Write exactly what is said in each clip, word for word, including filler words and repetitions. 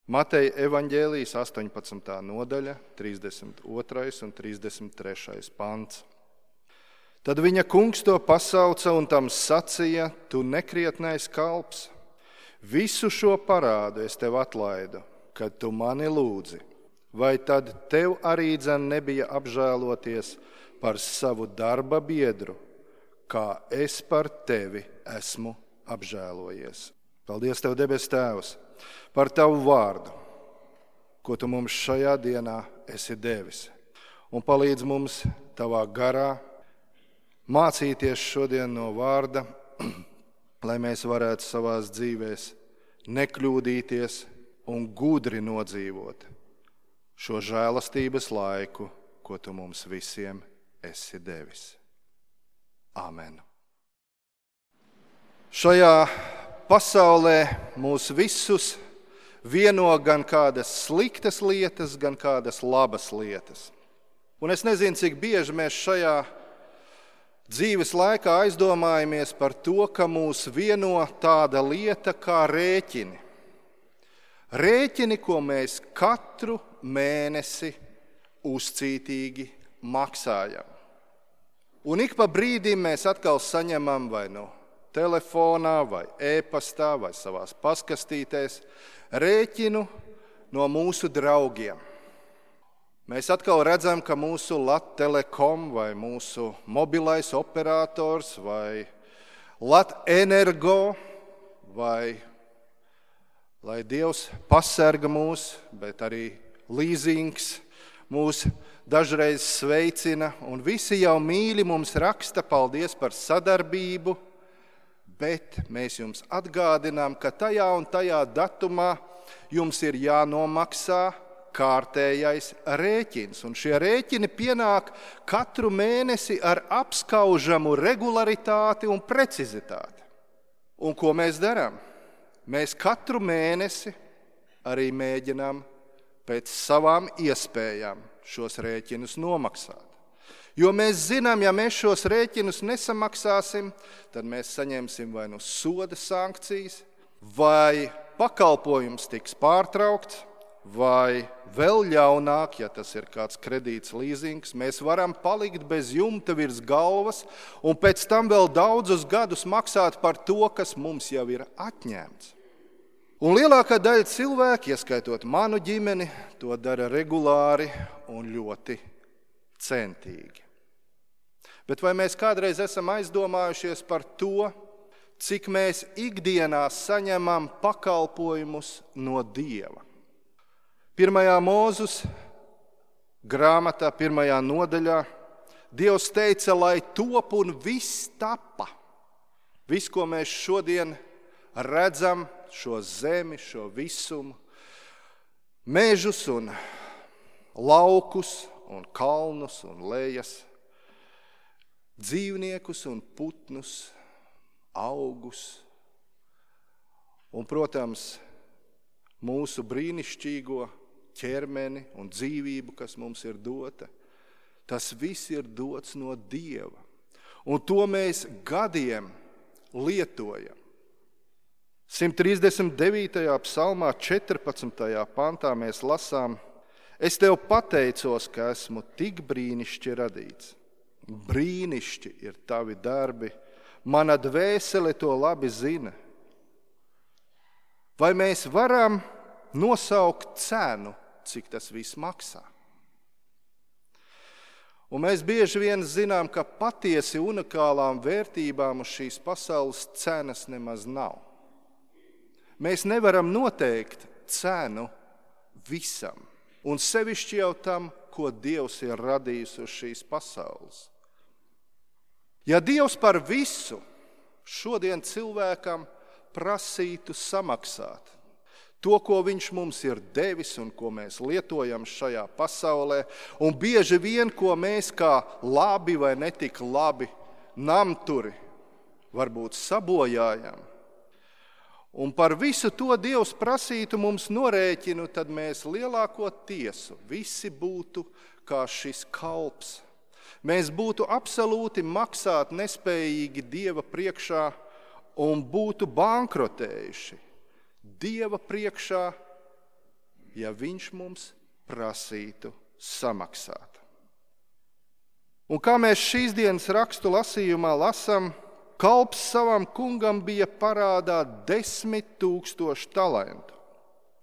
Mateja evaņģēlijas astoņpadsmitā nodaļa, trīsdesmit otrais un trīsdesmit trešais pants. Tad viņa kungs to pasauca un tam sacīja: tu nekrietnais kalps, visu šo parādu es tev atlaidu, kad tu mani lūdzi. Vai tad tev arī dzen nebija apžēloties par savu darba biedru, kā es par tevi esmu apžēlojies? Paldies tev, debes Tēvs, par tavu vārdu, ko tu mums šajā dienā esi devis. Un palīdz mums tavā garā mācīties šodien no vārda, lai mēs varētu savās dzīvēs nekļūdīties un gudri nodzīvot šo žēlastības laiku, ko tu mums visiem esi devis. Āmen. Šajā pasaulē mūs visus vieno gan kādas sliktas lietas, gan kādas labas lietas. Un es nezinu, cik bieži mēs šajā dzīves laikā aizdomājamies par to, ka mūs vieno tāda lieta kā rēķini. Rēķini, ko mēs katru mēnesi uzcītīgi maksājam. Un ik pa brīdim mēs atkal saņemam vai no telefonā, vai e-pastā, vai savās paskastītēs rēķinu no mūsu draugiem. Mēs atkal redzam, ka mūsu Lat Telekom vai mūsu mobilais operators vai Lat Energo vai, lai Dievs pasarga mūs, bet arī līzings mūs dažreiz sveicina, un visi jau mīļi mums raksta paldies par sadarbību, bet mēs jums atgādinām, ka tajā un tajā datumā jums ir jānomaksā kārtējais rēķins. Un šie rēķini pienāk katru mēnesi ar apskaužamu regularitāti un precizitāti. Un ko mēs darām? Mēs katru mēnesi arī mēģinām pēc savām iespējām šos rēķinus nomaksāt. Jo mēs zinām, ja mēs šos rēķinus nesamaksāsim, tad mēs saņemsim vai nu soda sankcijas, vai pakalpojums tiks pārtraukts, vai vēl ļaunāk, ja tas ir kāds kredīts līzings, mēs varam palikt bez jumta virs galvas un pēc tam vēl daudzus gadus maksāt par to, kas mums jau ir atņemts. Un lielākā daļa cilvēku, ieskaitot manu ģimeni, to dara regulāri un ļoti centīgi. Bet vai mēs kādreiz esam aizdomājušies par to, cik mēs ikdienā saņemam pakalpojumus no Dieva? Pirmajā Mūzus grāmatā, pirmajā nodaļā, Dievs teica, lai top un viss tapa. Viss, ko mēs šodien redzam, šo zemi, šo visumu, mežus un laukus un kalnus un lejas, dzīvniekus un putnus, augus un, protams, mūsu brīnišķīgo ķermeni un dzīvību, kas mums ir dota. Tas viss ir dots no Dieva. Un to mēs gadiem lietojam. simt trīsdesmit devītajā psalmā, četrpadsmitajā pantā mēs lasām: es tev pateicos, ka esmu tik brīnišķi radīts. Brīnišķi ir tavi darbi, mana dvēsele to labi zina. Vai mēs varam nosaukt cenu, cik tas viss maksā? Un mēs bieži vien zinām, ka patiesi unikālām vērtībām uz šīs pasaules cenas nemaz nav. Mēs nevaram noteikt cenu visam, un sevišķi jau tam, ko Dievs ir radījis uz šīs pasaules. Ja Dievs par visu šodien cilvēkam prasītu samaksāt to, ko viņš mums ir devis un ko mēs lietojam šajā pasaulē, un bieži vien, ko mēs kā labi vai netik labi namturi varbūt sabojājam, un par visu to Dievs prasītu mums norēķinu, tad mēs lielāko tiesu visi būtu kā šis kalps. Mēs būtu absolūti maksāt nespējīgi Dieva priekšā un būtu bankrotējuši Dieva priekšā ja viņš mums prasītu samaksāt. Un kā mēs šīs dienas rakstu lasījumā lasām, kalps savam kungam bija parādā desmit tūkstoši talantu.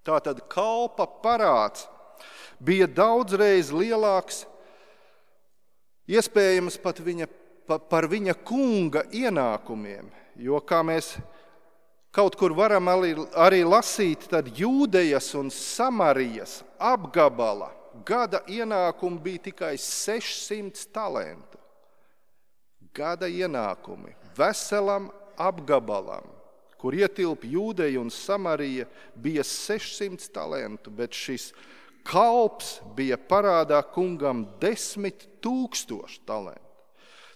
Tātad kalpa parāds bija daudzreiz lielāks, iespējams pat viņa, pa, par viņa kunga ienākumiem, jo, kā mēs kaut kur varam arī, arī lasīt, tad Jūdejas un Samarijas apgabala gada ienākumi bija tikai sešsimt talantu. Gada ienākumi veselam apgabalam, kur ietilp Jūdeja un Samarija, bija sešsimt talantu, bet šis kalps bija parādā kungam desmit tūkstoši talantu.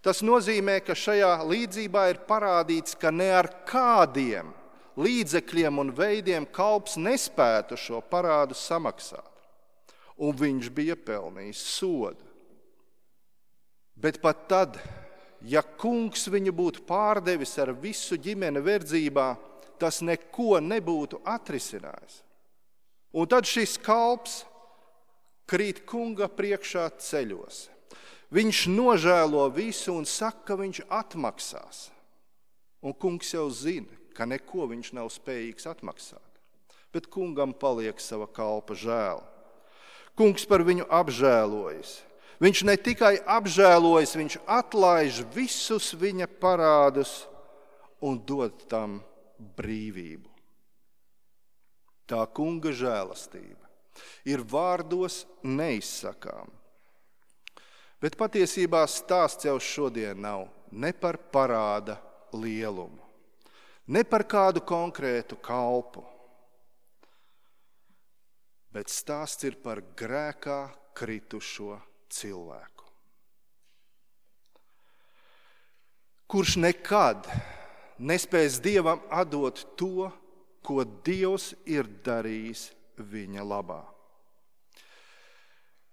Tas nozīmē, ka šajā līdzībā ir parādīts, ka ne ar kādiem līdzekļiem un veidiem kalps nespētu šo parādu samaksāt. Un viņš bija pelnījis sodu. Bet pat tad, ja kungs viņu būtu pārdevis ar visu ģimeni verdzībā, tas neko nebūtu atrisinājis. Un tad šis kalps krīt kunga priekšā ceļos. Viņš nožēlo visu un saka, ka viņš atmaksās. Un kungs jau zina, ka neko viņš nav spējīgs atmaksāt. Bet kungam paliek sava kalpa žēl. Kungs par viņu apžēlojas. Viņš ne tikai apžēlojas, viņš atlaiž visus viņa parādus un dod tam brīvību. Tā kunga žēlastība ir vārdos neizsakām. Bet patiesībā stāsts jau šodien nav ne par parāda lielumu, ne par kādu konkrētu kalpu, bet stāsts ir par grēkā kritušo cilvēku, kurš nekad nespēs Dievam atdot to, ko Dievs ir darījis viņa labā.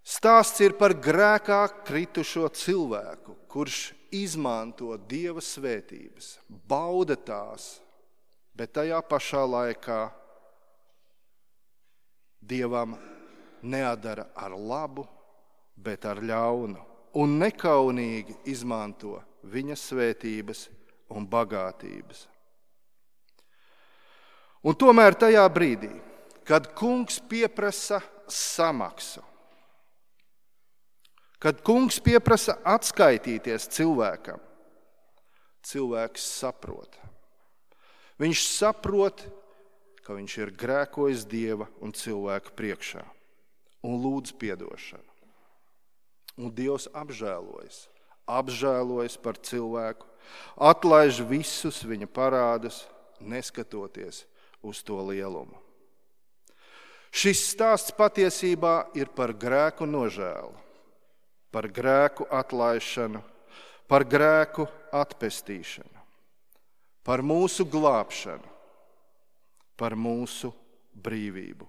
Stāsts ir par grēkā kritušo cilvēku, kurš izmanto Dieva svētības, bauda tās, bet tajā pašā laikā Dievam neatdara ar labu, bet ar ļaunu, un nekaunīgi izmanto viņa svētības un bagātības. Un tomēr tajā brīdī, kad kungs pieprasa samaksu, kad kungs pieprasa atskaitīties cilvēkam, cilvēks saprot. Viņš saprot, ka viņš ir grēkojis Dieva un cilvēku priekšā un lūdz piedošanu. Un Dievs apžēlojas, apžēlojas par cilvēku, atlaiž visus viņa parādus, neskatoties uz to lielumu. Šis stāsts patiesībā ir par grēku nožēlu, par grēku atlaišanu, par grēku atpestīšanu, par mūsu glābšanu, par mūsu brīvību.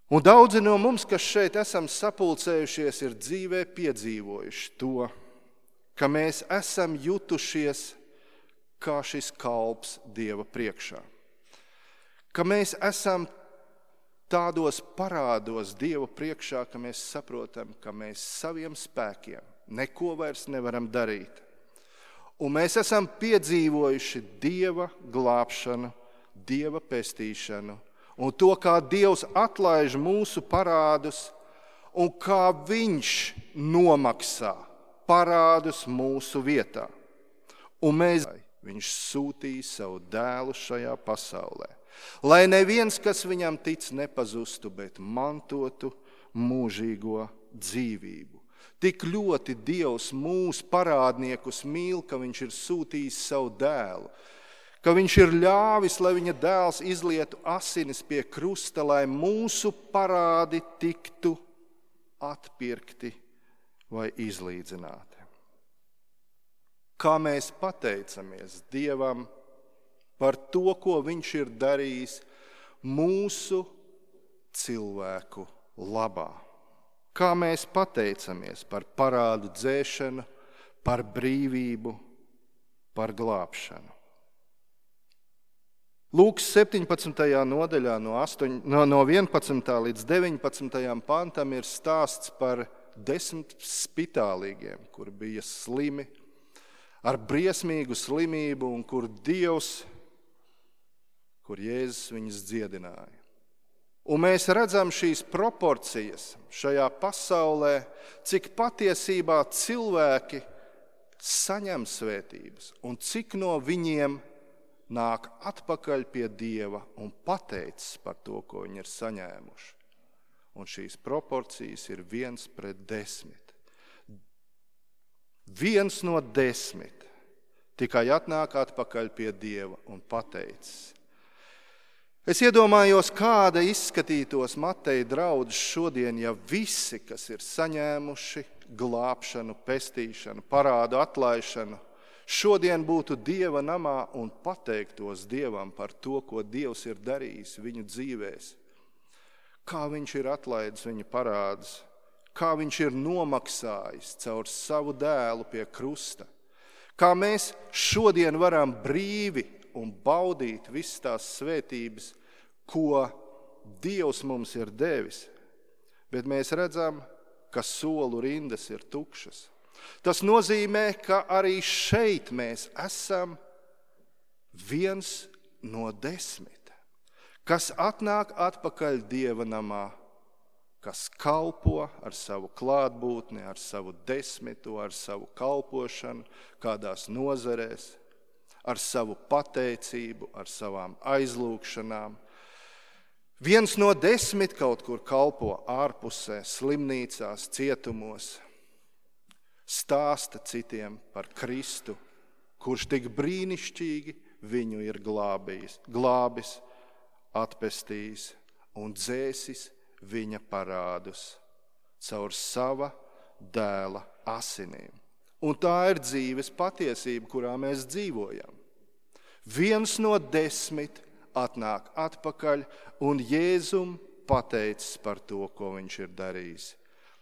Un daudzi no mums, kas šeit esam sapulcējušies, ir dzīvē piedzīvojuši to, ka mēs esam jutušies kā šis kalps Dieva priekšā. Ka mēs esam tādos parādos Dieva priekšā, ka mēs saprotam, ka mēs saviem spēkiem neko vairs nevaram darīt. Un mēs esam piedzīvojuši Dieva glābšanu, Dieva pestīšanu, un to, kā Dievs atlaiž mūsu parādus, un kā Viņš nomaksā parādus mūsu vietā. Un mēs, Viņš sūtīja savu dēlu šajā pasaulē, lai neviens, kas viņam tic, nepazustu, bet mantotu mūžīgo dzīvību. Tik ļoti Dievs mūsu parādniekus mīl, ka viņš ir sūtījis savu dēlu, ka viņš ir ļāvis, lai viņa dēls izlietu asinis pie krusta, lai mūsu parādi tiktu atpirkti vai izlīdzināti. Kā mēs pateicamies Dievam par to, ko viņš ir darījis mūsu cilvēku labā. Kā mēs pateicamies par parādu dzēšanu, par brīvību, par glābšanu. Lūkas septiņpadsmitajā nodaļā no, astoņ, no, no vienpadsmitā līdz deviņpadsmitajam pantam ir stāsts par desmit spitālīgiem, kuri bija slimi, ar briesmīgu slimību un kur Dievs, kur Jēzus viņus dziedināja. Un mēs redzam šīs proporcijas šajā pasaulē, cik patiesībā cilvēki saņem svētības un cik no viņiem nāk atpakaļ pie Dieva un pateicis par to, ko viņi ir saņēmuši. Un šīs proporcijas ir viens pret desmit. Viens no desmit tikai atnāk atpakaļ pie Dieva un pateicis. Es iedomājos, kāda izskatītos Mateja draudzes šodien, ja visi, kas ir saņēmuši glābšanu, pestīšanu, parādu atlaišanu, šodien būtu Dieva namā un pateiktos Dievam par to, ko Dievs ir darījis viņu dzīvēs. Kā viņš ir atlaidis viņu parādus, kā viņš ir nomaksājis caur savu dēlu pie krusta, kā mēs šodien varam brīvi un baudīt visas tās svētības, ko Dievs mums ir devis, bet mēs redzam, ka solu rindas ir tukšas. Tas nozīmē, ka arī šeit mēs esam viens no desmit, kas atnāk atpakaļ Dieva namā, kas kalpo ar savu klātbūtni, ar savu desmitu, ar savu kalpošanu, kādās nozarēs, ar savu pateicību, ar savām aizlūgšanām. Viens no desmit kaut kur kalpo ārpusē, slimnīcās, cietumos, stāsta citiem par Kristu, kurš tik brīnišķīgi viņu ir glābījis, glābis, atpestījis un dzēsis viņa parādus caur sava dēla asinīm. Un tā ir dzīves patiesība, kurā mēs dzīvojam. Viens no desmit atnāk atpakaļ un Jēzum pateicis par to, ko viņš ir darījis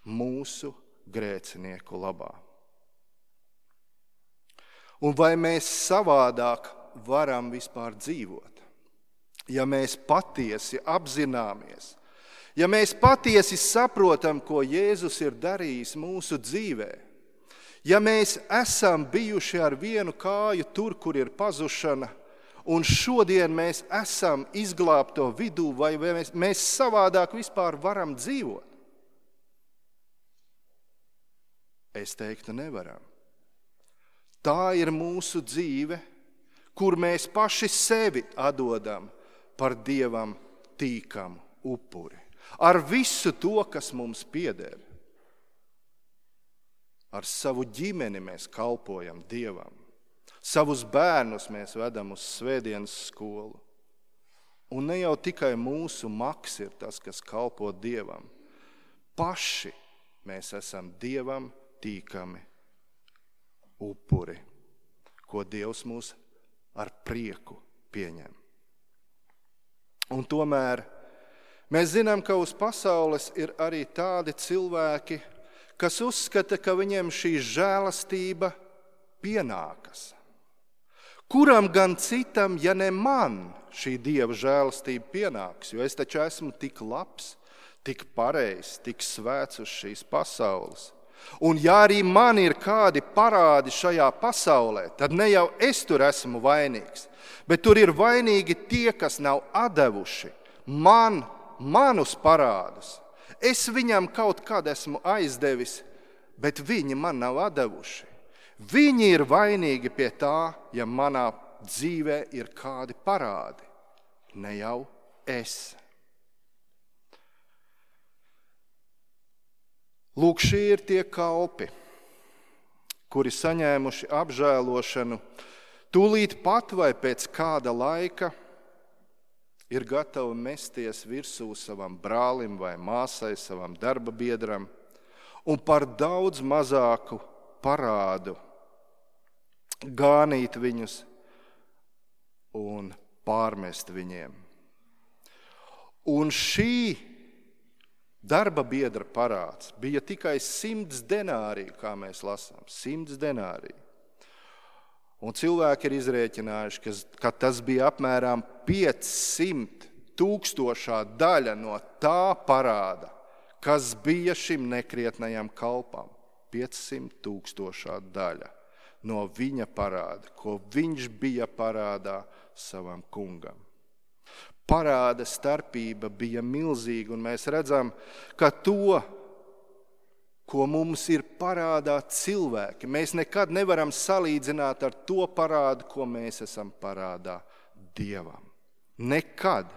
mūsu grēcinieku labā. Un vai mēs savādāk varam vispār dzīvot? Ja mēs patiesi apzināmies, ja mēs patiesi saprotam, ko Jēzus ir darījis mūsu dzīvē, ja mēs esam bijuši ar vienu kāju tur, kur ir pazušana, un šodien mēs esam izglābto vidū, vai mēs, mēs savādāk vispār varam dzīvot? Es teiktu, nevaram. Tā ir mūsu dzīve, kur mēs paši sevi atdodam par Dievam tīkamu upuri. Ar visu to, kas mums pieder. Ar savu ģimeni mēs kalpojam Dievam. Savus bērnus mēs vedam uz svētdienas skolu. Un ne jau tikai mūsu maks ir tas, kas kalpo Dievam. Paši mēs esam Dievam tīkami upuri, ko Dievs mūs ar prieku pieņem. Un tomēr mēs zinām, ka uz pasaules ir arī tādi cilvēki, kas uzskata, ka viņiem šī žēlastība pienākas. Kuram gan citam, ja ne man, šī Dieva žēlastība pienāks, jo es taču esmu tik labs, tik pareizs, tik svēts uz šīs pasaules. Un ja arī man ir kādi parādi šajā pasaulē, tad ne jau es tur esmu vainīgs, bet tur ir vainīgi tie, kas nav atdevuši man, manus parādus. Es viņam kaut kad esmu aizdevis, bet viņi man nav atdevuši. Viņi ir vainīgi pie tā, ja manā dzīvē ir kādi parādi, ne jau es. Lūk, šie ir tie kalpi, kuri saņēmuši apžēlošanu, tūlīt pat vai pēc kāda laika ir gatavi mesties virsū savam brālim vai māsai, savam darba biedram, un par daudz mazāku parādu gānīt viņus un pārmest viņiem. Un šī darba biedra parāds bija tikai simts denāriju, kā mēs lasām, simts denāriju. Un cilvēki ir izrēķinājuši, ka, ka tas bija apmēram piecsimt tūkstošā daļa no tā parāda, kas bija šim nekrietnajam kalpam. piecsimt tūkstošā daļa no viņa parāda, ko viņš bija parādā savam kungam. Parāda starpība bija milzīga, un mēs redzam, ka to, ko mums ir parādā cilvēki, mēs nekad nevaram salīdzināt ar to parādu, ko mēs esam parādā Dievam. Nekad.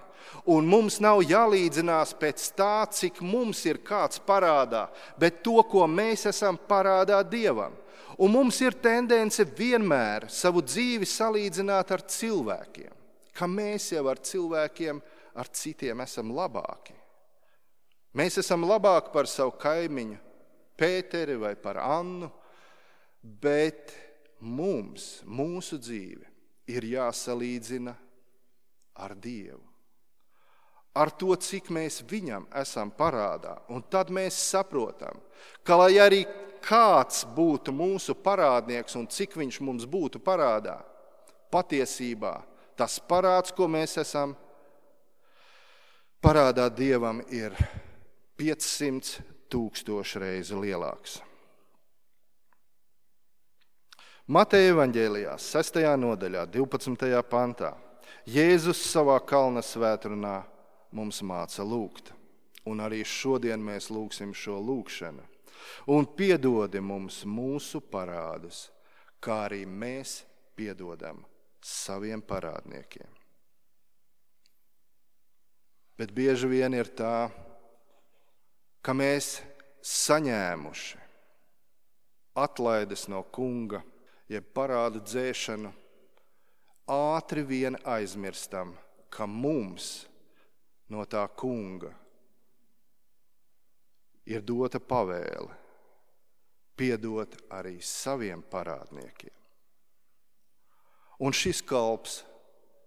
Un mums nav jālīdzinās pēc tā, cik mums ir kāds parādā, bet to, ko mēs esam parādā Dievam. Un mums ir tendence vienmēr savu dzīvi salīdzināt ar cilvēkiem, ka mēs jau ar cilvēkiem, ar citiem esam labāki. Mēs esam labāki par savu kaimiņu Pēteri vai par Annu, bet mums, mūsu dzīve ir jāsalīdzina ar Dievu. Ar to, cik mēs viņam esam parādā. Un tad mēs saprotam, ka lai arī kāds būtu mūsu parādnieks un cik viņš mums būtu parādā, patiesībā tas parāds, ko mēs esam parādā Dievam, ir piecsimt tūkstoši reizu lielāks. Mateja evaņģēlijā, sestajā nodaļā, divpadsmitajā pantā, Jēzus savā kalna svētrunā mums māca lūgt. Un arī šodien mēs lūgsim šo lūgšanu. Un piedodi mums mūsu parādus, kā arī mēs piedodam saviem parādniekiem. Bet bieži vien ir tā, ka mēs saņēmuši atlaides no kunga, jeb parādu dzēšanu, ātri vien aizmirstam, ka mums no tā kunga ir dota pavēle piedot arī saviem parādniekiem. Un šis kalps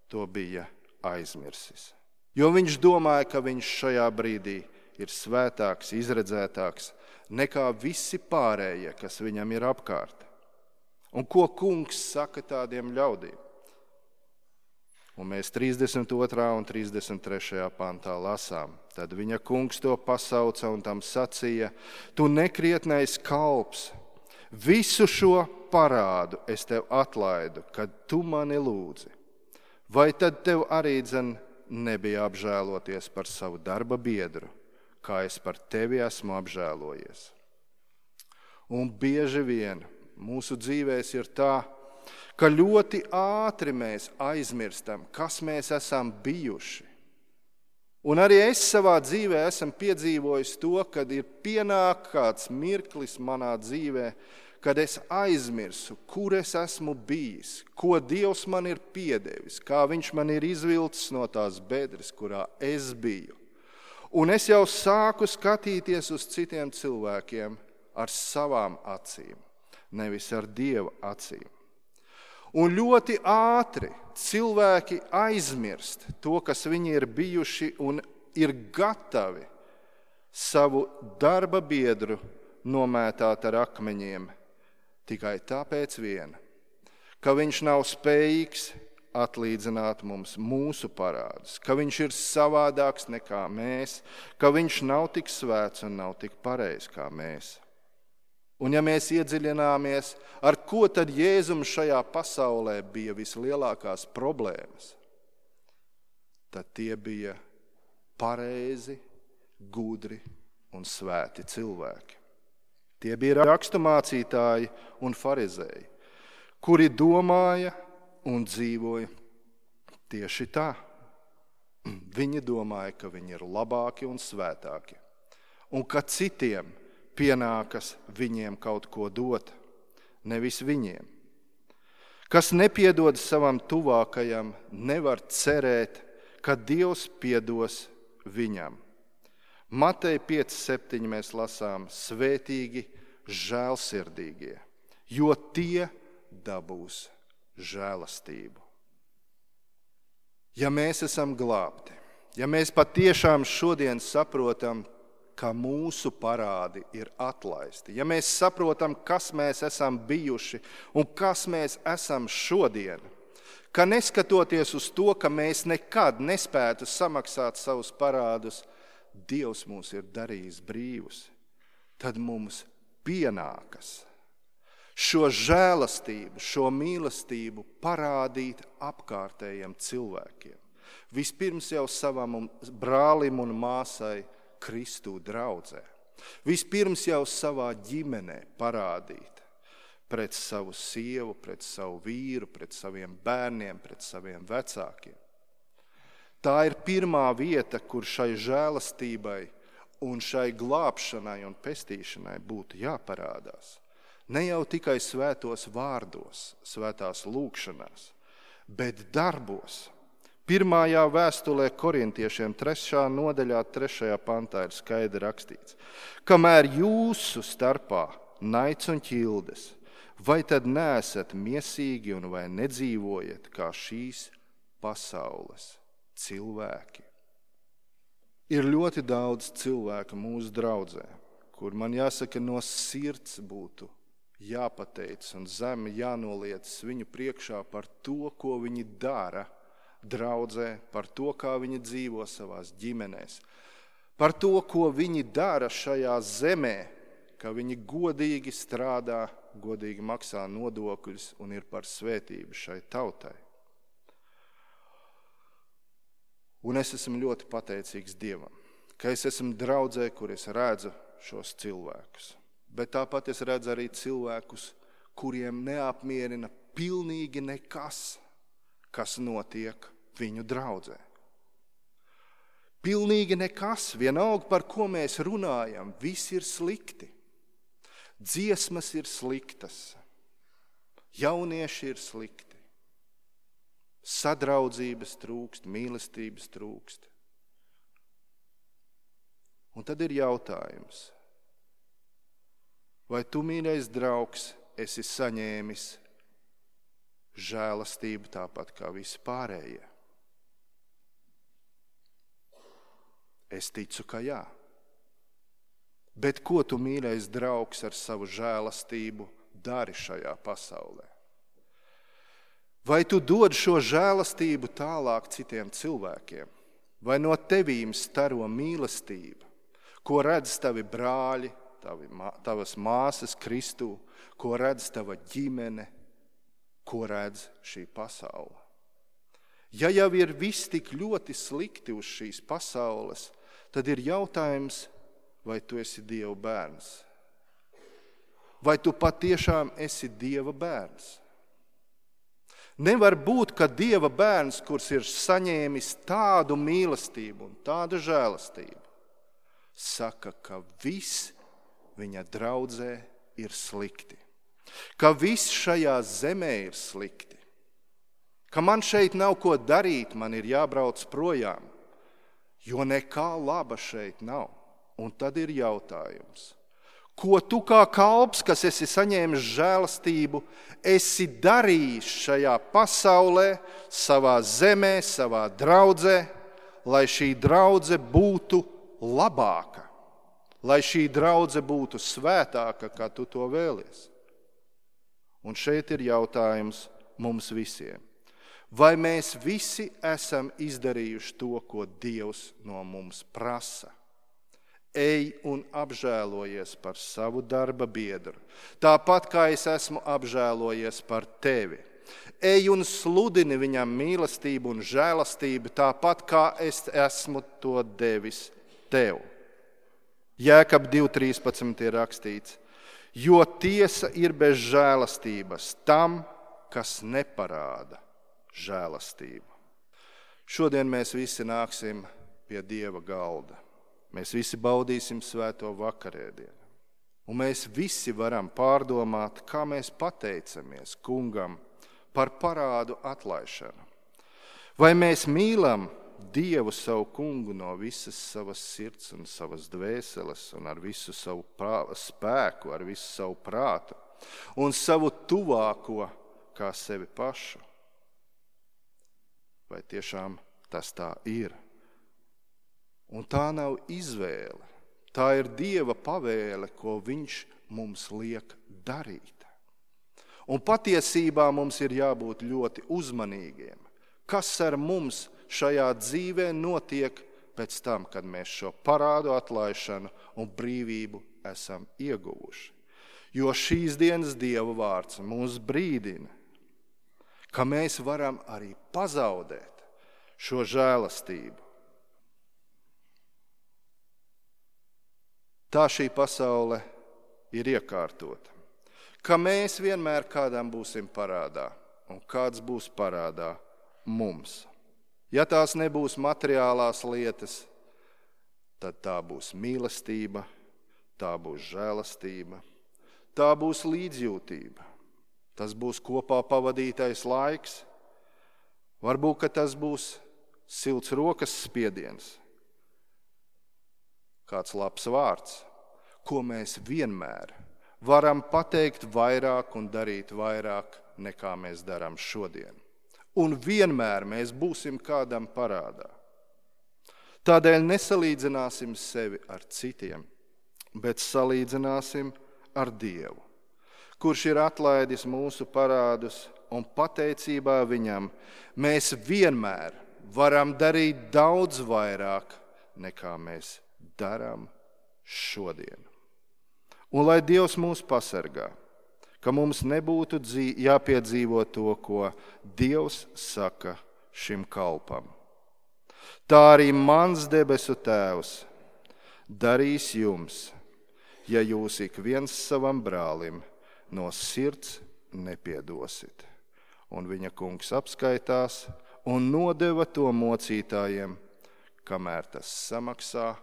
to bija aizmirsis. Jo viņš domāja, ka viņš šajā brīdī ir svētāks, izredzētāks nekā visi pārējie, kas viņam ir apkārt. Un ko kungs saka tādiem ļaudīm? Un mēs trīsdesmit otrā un trīsdesmit trešajā pantā lasām. Tad viņa kungs to pasauca un tam sacīja: tu nekrietnais kalps, visu šo parādu es tev atlaidu, kad tu mani lūdzi. Vai tad tev arī dzen nebija apžēloties par savu darba biedru, kā es par tevi esmu apžēlojies? Un bieži vien mūsu dzīvēs ir tā, ka ļoti ātri mēs aizmirstam, kas mēs esam bijuši. Un arī es savā dzīvē esmu piedzīvojis to, kad ir pienāk kāds mirklis manā dzīvē, kad es aizmirsu, kur es esmu bijis, ko Dievs man ir piedevis, kā viņš man ir izvilcis no tās bedres, kurā es biju. Un es jau sāku skatīties uz citiem cilvēkiem ar savām acīm, nevis ar Dieva acīm. Un ļoti ātri cilvēki aizmirst to, kas viņi ir bijuši, un ir gatavi savu darba biedru nomētāt ar akmeņiem tikai tāpēc vien, ka viņš nav spējīgs atlīdzināt mums mūsu parādus, ka viņš ir savādāks nekā mēs, ka viņš nav tik svēts un nav tik pareizs kā mēs. Un ja mēs iedziļināmies, ar ko tad Jēzum šajā pasaulē bija vislielākās problēmas, tad tie bija pareizi, gudri un svēti cilvēki. Tie bija raksturmācītāji un farizēji, kuri domāja un dzīvoja tieši tā. Viņi domāja, ka viņi ir labāki un svētāki, un ka citiem pienākas viņiem kaut ko dot, nevis viņiem. Kas nepiedod savam tuvākajam, nevar cerēt, ka Dievs piedos viņam. Mateja pieci septiņi mēs lasām: svētīgi žēlsirdīgie, jo tie dabūs žēlastību. Ja mēs esam glābti, ja mēs patiešām šodien saprotam, ka mūsu parādi ir atlaisti, ja mēs saprotam, kas mēs esam bijuši un kas mēs esam šodien, ka neskatoties uz to, ka mēs nekad nespētu samaksāt savus parādus, Dievs mūs ir darījis brīvus, tad mums pienākas šo žēlastību, šo mīlestību parādīt apkārtējiem cilvēkiem. Vispirms jau savam brālim un māsai Kristu draudzē. Vispirms jau savā ģimenē parādīt pret savu sievu, pret savu vīru, pret saviem bērniem, pret saviem vecākiem. Tā ir pirmā vieta, kur šai žēlastībai un šai glābšanai un pestīšanai būtu jāparādās. Ne jau tikai svētos vārdos, svētās lūkšanās, bet darbos. Pirmajā vēstulē korintiešiem trešā nodaļā, trešajā pantā ir skaidri rakstīts: kamēr jūsu starpā naids un ķildes, vai tad neesat miesīgi un vai nedzīvojat kā šīs pasaules cilvēki? Ir ļoti daudz cilvēku mūsu draudzē, kur man jāsaka no sirds būtu jāpateic un zemi jānoliecas viņu priekšā par to, ko viņi dara draudzē, par to, kā viņi dzīvo savās ģimenēs, par to, ko viņi dara šajā zemē, ka viņi godīgi strādā, godīgi maksā nodokļus un ir par svētību šai tautai. Un es esmu ļoti pateicīgs Dievam, ka es esmu draudzē, kur es redzu šos cilvēkus. Bet tāpat es redzu arī cilvēkus, kuriem neapmierina pilnīgi nekas, kas notiek viņu draudzē. Pilnīgi nekas, vienalga par ko mēs runājam, viss ir slikti. Dziesmas ir sliktas, jaunieši ir slikti. Sadraudzības trūkst, mīlestības trūkst. Un tad ir jautājums, vai tu, mīļais draugs, esi saņēmis žēlastību tāpat kā visi pārējie? Es ticu, ka jā. Bet ko tu, mīļais draugs, ar savu žēlastību dari šajā pasaulē? Vai tu dod šo žēlastību tālāk citiem cilvēkiem? Vai no tevīm staro mīlestība, ko redz tavi brāļi, tavi, tavas māsas Kristū, ko redz tava ģimene, ko redz šī pasaule? Ja jau ir viss tik ļoti slikti uz šīs pasaules, tad ir jautājums, vai tu esi Dieva bērns? Vai tu patiešām esi Dieva bērns? Nevar būt, ka Dieva bērns, kurš ir saņēmis tādu mīlestību un tādu žēlastību, saka, ka viss viņa draudzē ir slikti, ka viss šajā zemē ir slikti, ka man šeit nav ko darīt, man ir jābrauc projām, jo nekā laba šeit nav. Un tad ir jautājums, ko tu kā kalps, kas esi saņēmis žēlastību, esi darījis šajā pasaulē, savā zemē, savā draudzē, lai šī draudze būtu labāka, lai šī draudze būtu svētāka, kā tu to vēlies. Un šeit ir jautājums mums visiem. Vai mēs visi esam izdarījuši to, ko Dievs no mums prasa? Ej un apžēlojies par savu darba biedru, tāpat kā es esmu apžēlojies par tevi. Ej un sludini viņam mīlestību un žēlastību, tāpat kā es esmu to devis tev. Jēkab divi trīspadsmit ir rakstīts, jo tiesa ir bez žēlastības tam, kas neparāda žēlastību. Šodien mēs visi nāksim pie Dieva galda. Mēs visi baudīsim svēto vakarēdienu. Un mēs visi varam pārdomāt, kā mēs pateicamies Kungam par parādu atlaišanu. Vai mēs mīlam Dievu savu Kungu no visas savas sirds un savas dvēseles un ar visu savu prā, spēku, ar visu savu prātu un savu tuvāko kā sevi pašu? Vai tiešām tas tā ir? Un tā nav izvēle, Tā ir Dieva pavēle, ko viņš mums liek darīt. Un patiesībā mums ir jābūt ļoti uzmanīgiem. Kas ar mums šajā dzīvē notiek pēc tam, kad mēs šo parādu atlaišanu un brīvību esam ieguvuši? Jo šīs dienas Dieva vārds mūs brīdina, ka mēs varam arī pazaudēt šo žēlastību. Tā šī pasaule ir iekārtota, ka mēs vienmēr kādam būsim parādā, un kāds būs parādā mums. Ja tās nebūs materiālās lietas, tad tā būs mīlestība, tā būs žēlastība, tā būs līdzjūtība, tas būs kopā pavadītais laiks, varbūt, ka tas būs silts rokas spiediens, kāds labs vārds, ko mēs vienmēr varam pateikt vairāk un darīt vairāk, nekā mēs darām šodien. Un vienmēr mēs būsim kādam parādā. Tādēļ nesalīdzināsim sevi ar citiem, bet salīdzināsim ar Dievu, kurš ir atlaidis mūsu parādus, un pateicībā viņam mēs vienmēr varam darīt daudz vairāk, nekā mēs darām šodien. Un lai Dievs mūs pasargā, ka mums nebūtu dzī- jāpiedzīvo to, ko Dievs saka šim kalpam. Tā arī mans debesu Tēvs darīs jums, ja jūs ik viens savam brālim no sirds nepiedosit. Un viņa kungs apskaitās un nodeva to mocītājiem, kamēr tas samaksā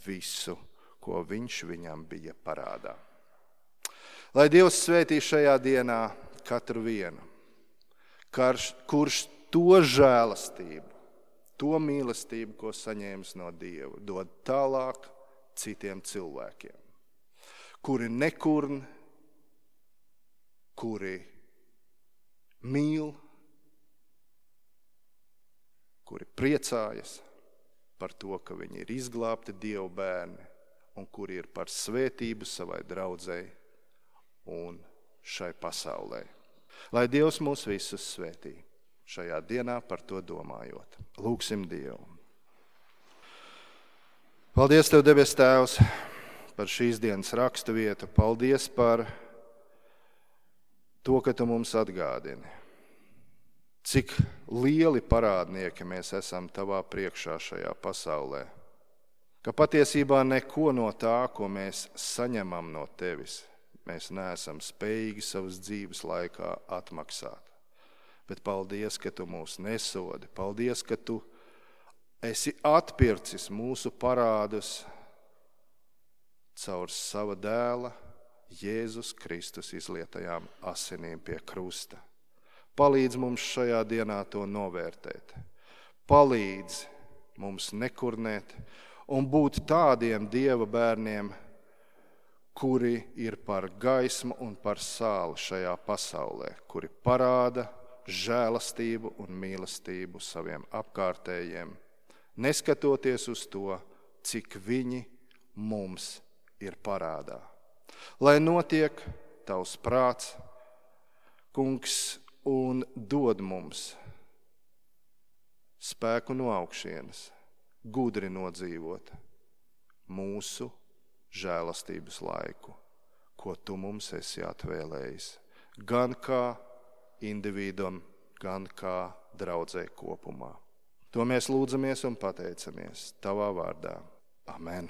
visu, ko viņš viņam bija parādā. Lai Dievs svētī šajā dienā katru vienu, karš, kurš to žēlastību, to mīlestību, ko saņēmis no Dieva, dod tālāk citiem cilvēkiem, kuri nekurn, kuri mīl, kuri priecājas par to, ka viņi ir izglābti Dieva bērni un kuri ir par svētību savai draudzei un šai pasaulē. Lai Dievs mūs visus svētī šajā dienā par to domājot. Lūgsim Dievu. Paldies Tev, debes Tēvs, par šīs dienas rakstu vietu. Paldies par to, ka Tu mums atgādini, cik lieli parādnieki mēs esam Tavā priekšā šajā pasaulē. Ka patiesībā neko no tā, ko mēs saņemam no Tevis, mēs neesam spējīgi savas dzīves laikā atmaksāt. Bet paldies, ka Tu mūs nesodi. Paldies, ka Tu esi atpircis mūsu parādus caur sava dēla Jēzus Kristus izlietajām asinīm pie krusta. Palīdz mums šajā dienā to novērtēt. Palīdz mums nekurnēt un būt tādiem Dieva bērniem, kuri ir par gaismu un par sāli šajā pasaulē, kuri parāda žēlastību un mīlestību saviem apkārtējiem, neskatoties uz to, cik viņi mums ir parādā. Lai notiek Tavs prāts, Kungs, un dod mums spēku no augšienes, gudri nodzīvot mūsu žēlastības laiku, ko Tu mums esi atvēlējis, gan kā individam, gan kā draudzei kopumā. To mēs lūdzamies un pateicamies Tavā vārdā. Amen.